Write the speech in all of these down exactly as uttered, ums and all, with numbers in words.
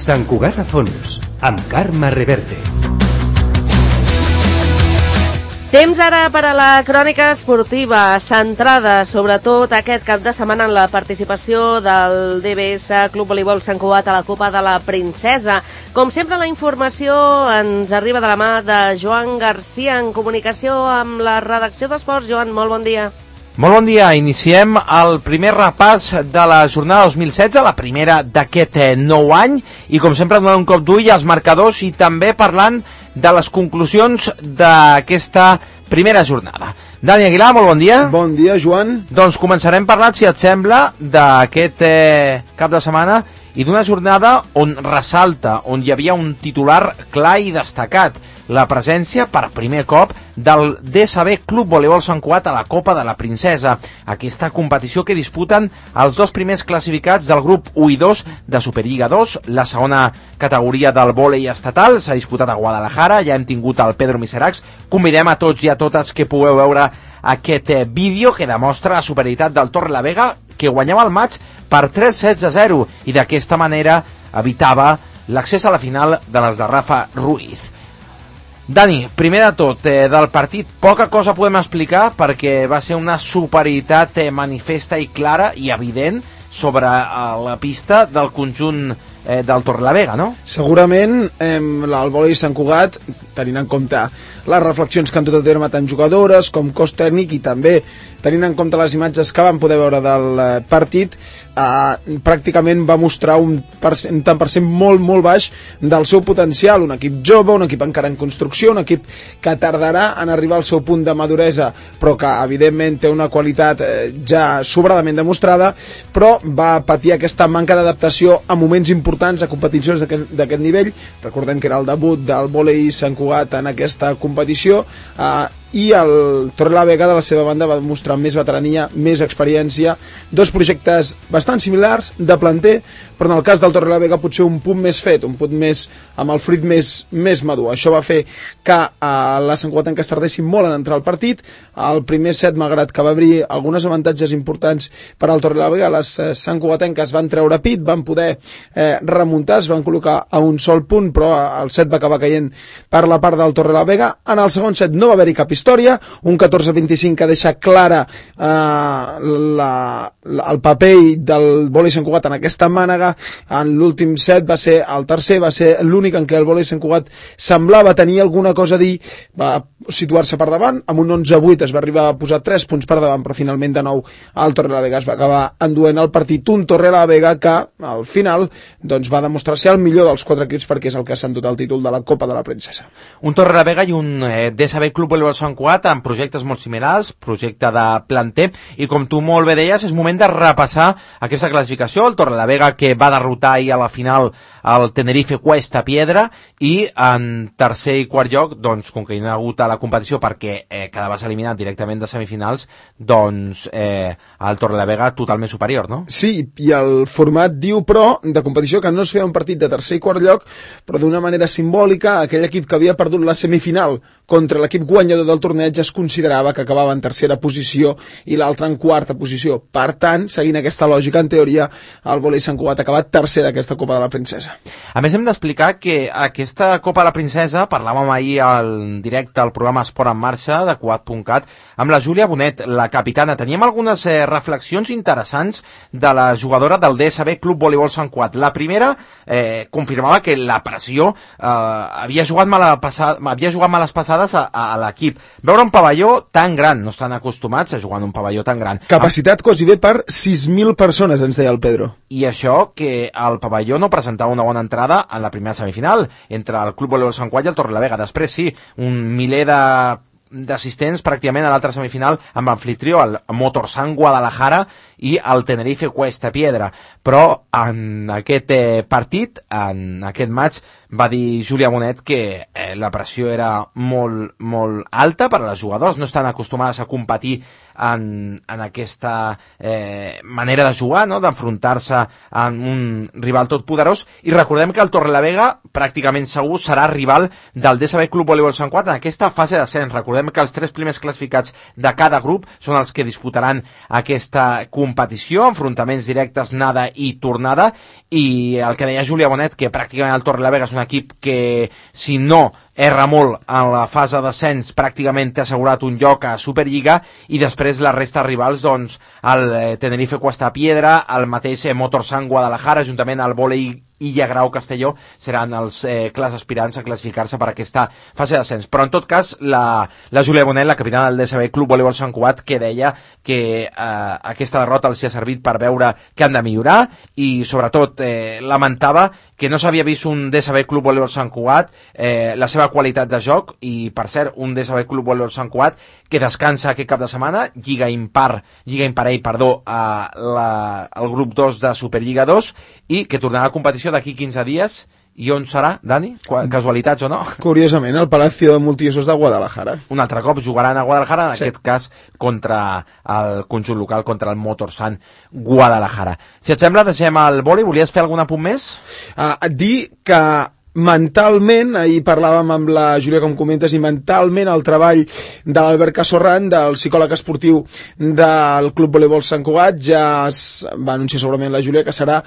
Sant Cugat a Fons, amb Carme Reverte. Temps ara per a la crònica esportiva, centrada sobretot aquest cap de setmana en la participació del D B S Club Voleibol Sant Cugat a la Copa de la Princesa. Com sempre, la informació ens arriba de la mà de Joan Garcia, en comunicació amb la redacció d'Esports. Joan, molt bon dia. Molt bon dia. Iniciem el primer repàs de la jornada dos mil setze, la primera d'aquest nou any, i com sempre donant un cop d'ull als marcadors i també parlant de les conclusions d'aquesta primera jornada. Dani Aguilar, molt bon dia. Bon dia, Joan. Doncs començarem parlant, si et sembla, d'aquest eh, cap de setmana i d'una jornada on ressalta, on hi havia un titular clar i destacat, la presència per primer cop del D S B Club Voleibol Sant Cugat a la Copa de la Princesa, aquesta competició que disputen els dos primers classificats del grup u i dos de Superliga dos, la segona categoria del vòlei estatal. S'ha disputat a Guadalajara, ja hem tingut el Pedro Miseracs. Convidem a tots i a totes que pugueu veure aquest eh, vídeo que demostra la superioritat del Torrelavega, que guanyava el maig per tres sets a zero i d'aquesta manera evitava l'accés a la final de les de Rafa Ruiz. Dani, primer de tot, eh, del partit poca cosa podem explicar perquè va ser una superioritat eh, manifesta i clara i evident sobre eh, la pista del conjunt eh, del Torrelavega, no? Segurament eh, el vòlei Sant Cugat, tenint en compte les reflexions que han dut a terme tant jugadores com cos tècnic i també tenint en compte les imatges que vam poder veure del eh, partit, eh, pràcticament va mostrar un, percent, un tant per cent molt, molt baix del seu potencial. Un equip jove, un equip encara en construcció, un equip que tardarà en arribar al seu punt de maduresa, però que evidentment té una qualitat eh, ja sobradament demostrada, però va patir aquesta manca d'adaptació a moments importants, a competicions d'aquest nivell. Recordem que era el debut del vòlei Sant Cugat en aquesta competició, eh, i el Torrelavega de la seva banda va demostrar més veterania, més experiència, dos projectes bastant similars de planter, però en el cas del Torrelavega potser un punt més fet, un punt més amb el fruit més, més madur. Això va fer que eh, la Sant Cugatenca es tardessin molt en entrar al partit. El primer set, malgrat que va obrir algunes avantatges importants per al Torrelavega, les eh, Sant Cugatenques van treure pit, van poder eh, remuntar, es van col·locar a un sol punt, però el set va acabar caient per la part del Torrelavega. En el segon set no va haver-hi cap història, un catorze a vint-i-cinc que deixa clara eh, la, la, el paper del vòlei Sant Cugat en aquesta mànega. En l'últim set va ser el tercer, va ser l'únic en què el vòlei Sant Cugat semblava tenir alguna cosa a dir, va situar-se per davant, amb un onze a vuit es va arribar a posar tres punts per davant, però finalment de nou el Torrelavega es va acabar enduent el partit, un Torrelavega que al final doncs, va demostrar ser el millor dels quatre equips perquè és el que s'ha endut el títol de la Copa de la Princesa. Un Torrelavega i un eh, D S B Club Voleibol Sant Cugat amb projectes molt similars, projecte de planter, i com tu molt bé deies, és moment de repassar aquesta classificació. El Torrelavega que va derrotar ahir a la final el Tenerife Cuesta Piedra, i en tercer i quart lloc, doncs, com que hi ha hagut a la competició perquè eh, quedaves eliminat directament de semifinals, doncs eh, el Torrelavega totalment superior, no? Sí, i el format diu, però, de competició que no es feia un partit de tercer i quart lloc, però d'una manera simbòlica, aquell equip que havia perdut la semifinal contra l'equip guanyador del torneig es considerava que acabava en tercera posició i l'altre en quarta posició. Per tant, seguint aquesta lògica, en teoria, el vòlei Sant Cugat ha acabat tercer d'aquesta Copa de la Princesa. A més, hem d'explicar que aquesta Copa de la Princesa, parlàvem ahir al directe al programa Esport en Marxa de Cugat punt cat, amb la Júlia Bonet, la capitana. Teníem algunes eh, reflexions interessants de la jugadora del D S B Club Voleibol Sant Cugat. La primera eh, confirmava que la pressió eh, havia jugat mal passada, havia jugat males passades a, a l'equip. Veure un pavelló tan gran, no estan acostumats a jugar en un pavelló tan gran. Capacitat quasi bé per sis mil persones, ens deia el Pedro. I això que el pavelló no presentava una bona entrada en la primera semifinal entre el Club Voleibol Sant Cugat i el Torrelavega. Després sí, un miler de d'assistents pràcticament a l'altra semifinal amb l'anfitrió, el Motorsan Guadalajara i el Tenerife Cuesta Piedra, però en aquest eh, partit, en aquest match, va dir Júlia Bonet que eh, la pressió era molt, molt alta per a les jugadores, no estan acostumades a competir en, en aquesta eh, manera de jugar, no? D'enfrontar-se amb un rival tot poderós, i recordem que el Torrelavega pràcticament segur serà rival del D S B Club Voleibol Sant Cugat en aquesta fase d'ascens. Recordem que els tres primers classificats de cada grup són els que disputaran aquesta competició, enfrontaments directes, anada i tornada, i el que deia Júlia Bonet, que pràcticament el Torrelavega és un equip que, si no erra molt en la fase d'ascens, pràcticament té assegurat un lloc a Superliga, i després la resta de rivals, doncs, el Tenerife Cuesta Piedra, el mateix Motorsant Guadalajara, juntament al Volei Illa Grau Castelló, seran els eh, clars aspirants a classificar-se per aquesta fase d'ascens. Però en tot cas, la, la Júlia Bonet, la capitana del D S B Club Voleibol Sant Cugat, que deia que eh, aquesta derrota els ha servit per veure que han de millorar, i sobretot eh, lamentava que no s'havia vist un D S B Club Voleibol Sant Cugat, eh, la seva qualitat de joc, i per cert, un D S B Club Voleibol Sant Cugat que descansa aquest cap de setmana, Lliga Impar, Lliga Imparell, perdó, a la, al grup dos de Superliga dos, i que tornarà a competició d'aquí quinze dies. I on serà, Dani? Casualitats o no? Curiosament, al Palacio de Multiusos de Guadalajara. Un altre cop jugaran a Guadalajara, en sí. aquest cas contra el conjunt local, contra el Motorsant Guadalajara. Si et sembla, deixem el vòlei. Volies fer algun apunt més? Uh, dir que mentalment, ahir parlàvem amb la Júlia, com comentes, i mentalment el treball de l'Albert Casorran, del psicòleg esportiu del Club Voleibol Sant Cugat, ja es va anunciar segurament la Júlia que serà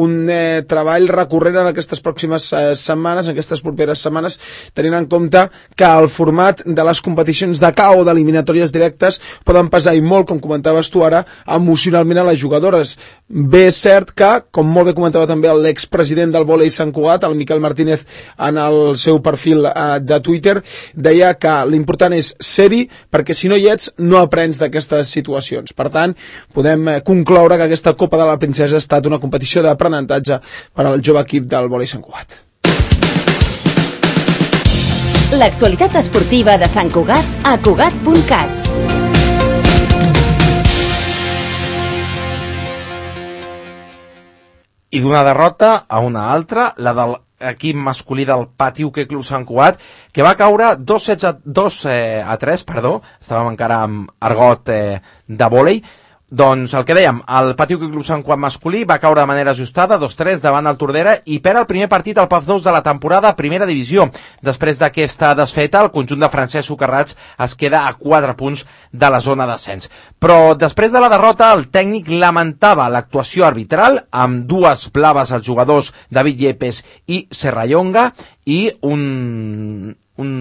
un eh, treball recurrent en aquestes pròximes eh, setmanes, en aquestes properes setmanes, tenint en compte que el format de les competicions de K O, d'eliminatòries directes, poden pesar i molt, com comentaves tu ara, emocionalment a les jugadores. Bé, és cert que, com molt bé comentava també l'expresident del Volei Sant Cugat, el Miquel Martínez, en el seu perfil eh, de Twitter, deia que l'important és ser-hi, perquè si no hi ets no aprens d'aquestes situacions. Per tant, podem eh, concloure que aquesta Copa de la Princesa ha estat una competició d'aprenentatge per al jove equip del Volei Sant Cugat. L'actualitat esportiva de Sant Cugat a Cugat punt cat. I d'una derrota a una altra, la del equip masculí del Pati Hoquei Club Sant Cugat, que va caure dos a tres, perdó, estàvem encara amb argot eh, de vòlei. Doncs el que dèiem, el Pati Hoquei Club Sant Cugat masculí va caure de manera ajustada, dos tres davant el Tordera, i perd el primer partit al P A F dos de la temporada a primera divisió. Després d'aquesta desfeta, el conjunt de Francesc Socarrats es queda a quatre punts de la zona d'ascens. Però després de la derrota, el tècnic lamentava l'actuació arbitral, amb dues blaves als jugadors David Yepes i Serrallonga, i un, un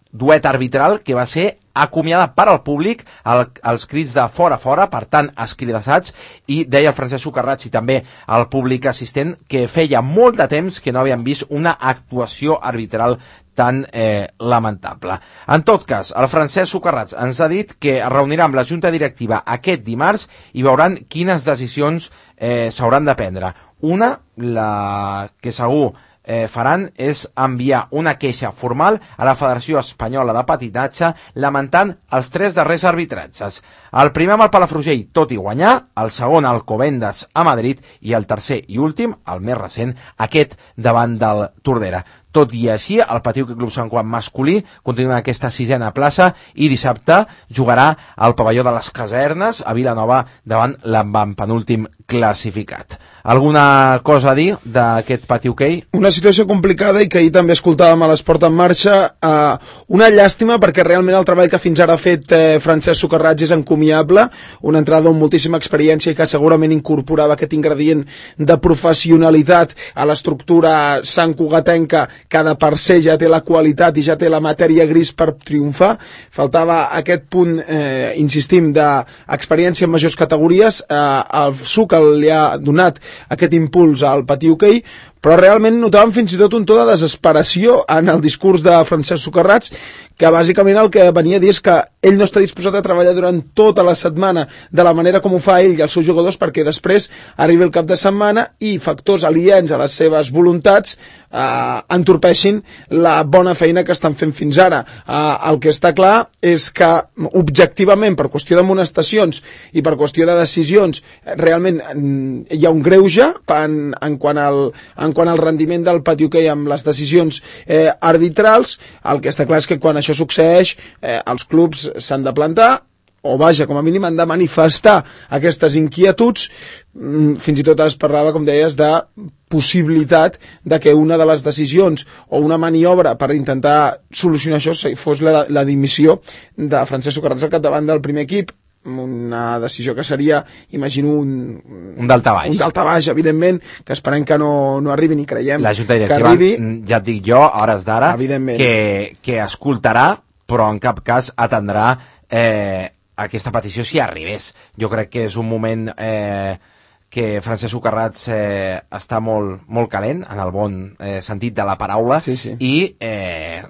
duet arbitral que va ser acomiadat per al públic, el, els crits de fora fora, per tant escridassats, i deia el Francesc Socarrats i també el públic assistent que feia molt de temps que no havien vist una actuació arbitral tan eh, lamentable. En tot cas, el Francesc Socarrats ens ha dit que es reunirà amb la Junta Directiva aquest dimarts i veuran quines decisions eh, s'hauran de prendre. Una, la que segur Eh, faran és enviar una queixa formal a la Federació Espanyola de Patinatge lamentant els tres darrers arbitratges. El primer amb el Palafrugell, tot i guanyar, el segon al Alcobendas a Madrid i el tercer i últim, el més recent, aquest davant del Tordera. Tot i així, el Pati Hoquei Club Sant Cugat masculí continua en aquesta sisena plaça i dissabte jugarà al pavelló de les Casernes a Vilanova davant l'avantpenúltim classificat. Alguna cosa a dir d'aquest Pati Hoquei? Una situació complicada i que ahir també escoltàvem a l'Esport en Marxa. Eh, una llàstima perquè realment el treball que fins ara ha fet eh, Francesc Socarrats és encomiable, una entrada amb moltíssima experiència i que segurament incorporava aquest ingredient de professionalitat a l'estructura santcugatenca, que de per ser ja té la qualitat i ja té la matèria gris per triomfar. Faltava aquest punt, eh, insistim, d'experiència en majors categories. Eh, el Suc li ha donat aquest impuls al Pati Hoquei, però realment notàvem fins i tot un to de desesperació en el discurs de Francesc Socarrats, que bàsicament el que venia a dir és que ell no està disposat a treballar durant tota la setmana de la manera com ho fa ell i els seus jugadors, perquè després arribi el cap de setmana i factors aliens a les seves voluntats eh, entorpeixin la bona feina que estan fent fins ara. Eh, el que està clar és que objectivament, per qüestió d'amonestacions i per qüestió de decisions, realment hi ha un greuge en, en quant al en en quant al rendiment del pati hoquei amb les decisions eh, arbitrals, el que està clar és que quan això succeeix eh, els clubs s'han de plantar, o vaja, com a mínim han de manifestar aquestes inquietuds. Fins i tot es parlava, com deies, de possibilitat de que una de les decisions o una maniobra per intentar solucionar això fos la, la dimissió de Francesc Socarrats al capdavant del primer equip, una decisió que seria, imagino, un, un daltabaix. Un daltabaix, evidentment, que esperem que no, no arribi ni creiem la Junta Directiva, que arribi. Ja et dic jo, a hores d'ara, que, que escoltarà, però en cap cas atendrà eh, aquesta petició si arribés. Jo crec que és un moment eh, que Francesc Socarrats eh, està molt, molt calent, en el bon eh, sentit de la paraula, sí, sí. i eh,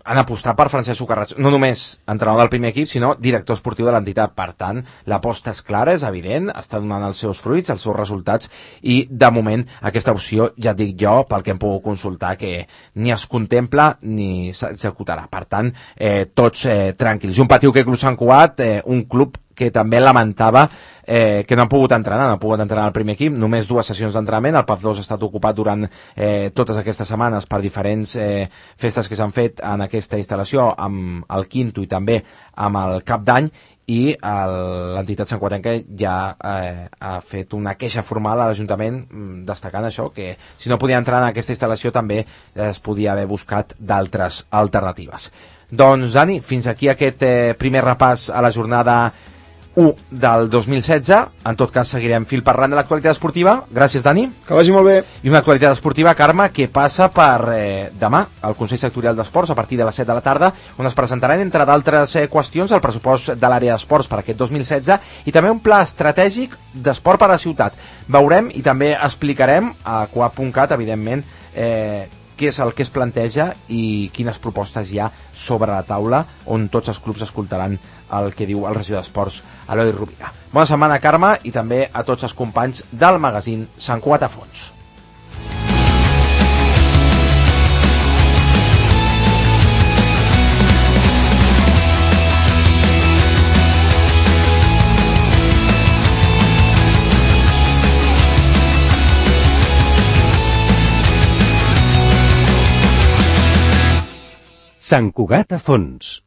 han apostat per Francesc Socarrats, no només entrenador del primer equip, sinó director esportiu de l'entitat. Per tant, l'aposta és clara, és evident, està donant els seus fruits, els seus resultats, i de moment aquesta opció, ja et dic jo, pel que hem pogut consultar, que ni es contempla ni s'executarà. Per tant, eh, tots eh, tranquils. Un patiu que Club Sant Cugat, eh, un club que també lamentava eh, que no han pogut entrenar, no han pogut entrenar al primer equip, només dues sessions d'entrenament, el P A F dos ha estat ocupat durant eh, totes aquestes setmanes per diferents eh, festes que s'han fet en aquesta instal·lació amb el Quinto i també amb el Cap d'Any, i l'entitat santcugatenca ja eh, ha fet una queixa formal a l'Ajuntament destacant això, que si no podia entrar en aquesta instal·lació també es podia haver buscat d'altres alternatives. Doncs, Dani, fins aquí aquest eh, primer repàs a la jornada u del dos mil setze. En tot cas, seguirem fil parlant de l'actualitat esportiva. Gràcies, Dani. Que vagi molt bé. I una actualitat esportiva, Carme, que passa per eh, demà al Consell Sectorial d'Esports a partir de les set de la tarda, on es presentaran, entre d'altres eh, qüestions, el pressupost de l'àrea d'esports per aquest dos mil setze i també un pla estratègic d'esport per a la ciutat. Veurem i també explicarem a coap punt cat, evidentment, eh, què és el que es planteja i quines propostes hi ha sobre la taula, on tots els clubs escoltaran el que diu el regidor d'Esports, Eloi Rovira. Bona setmana, Carme, i també a tots els companys del magazín Sant Cugat a Fons. Sant Cugat a Fons.